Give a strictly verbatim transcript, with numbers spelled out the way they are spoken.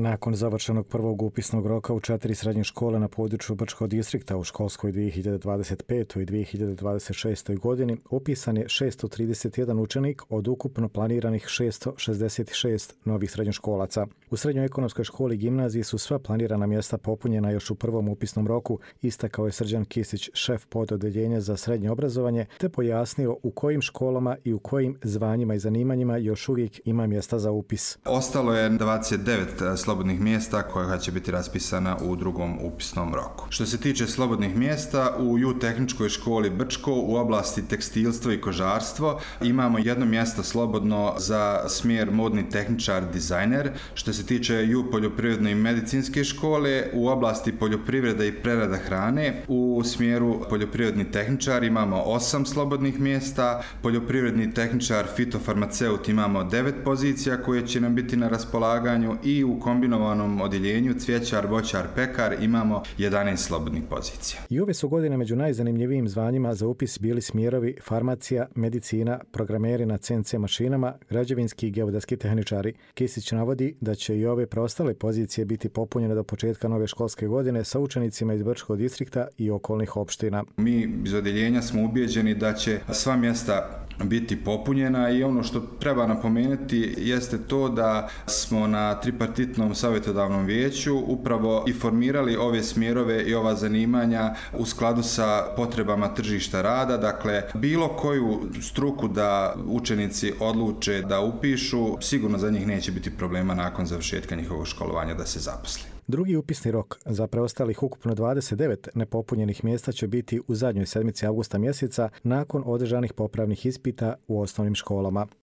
Nakon završenog prvog upisnog roka u četiri srednje škole na području Brčkog distrikta u školskoj dvije hiljade dvadeset petoj i dvije hiljade dvadeset šestoj godini upisan je šesto trideset jedan učenik od ukupno planiranih šesto šezdeset šest novih srednjoškolaca. U srednjoj ekonomskoj školi gimnaziji su sva planirana mjesta popunjena još u prvom upisnom roku, istakao je Srđan Kisić, šef pododeljenja za srednje obrazovanje, te pojasnio u kojim školama i u kojim zvanjima i zanimanjima još uvijek ima mjesta za upis. Ostalo je dvadeset devet slobodnih mjesta koja će biti raspisana u drugom upisnom roku. Što se tiče slobodnih mjesta, u Ju tehničkoj školi Brčko u oblasti tekstilstvo i kožarstvo imamo jedno mjesto slobodno za smjer modni tehničar dizajner. Što se tiče Ju poljoprivredne i medicinske škole, u oblasti poljoprivreda i prerada hrane u smjeru poljoprivredni tehničar imamo osam slobodnih mjesta, poljoprivredni tehničar fitofarmaceut imamo devet pozicija koje će nam biti na raspolaganju i u kombinovanom odjeljenju cvjećar, voćar, pekar imamo jedanaest slobodnih pozicija. I ove su godine među najzanimljivijim zvanjima za upis bili smjerovi farmacija, medicina, programeri na C N C mašinama, građevinski i geodetski tehničari. Kisić navodi da će i ove preostale pozicije biti popunjene do početka nove školske godine sa učenicima iz Brčkog distrikta i okolnih opština. Mi iz odjeljenja smo ubijeđeni da će sva mjesta biti popunjena i ono što treba napomenuti jeste to da smo na tripartitnom savjetodavnom vijeću upravo i formirali ove smjerove i ova zanimanja u skladu sa potrebama tržišta rada. Dakle, bilo koju struku da učenici odluče da upišu, sigurno za njih neće biti problema nakon završetka njihovog školovanja da se zaposli. Drugi upisni rok za preostalih ukupno dvadeset devet nepopunjenih mjesta će biti u zadnjoj sedmici avgusta mjeseca nakon održanih popravnih ispita u osnovnim školama.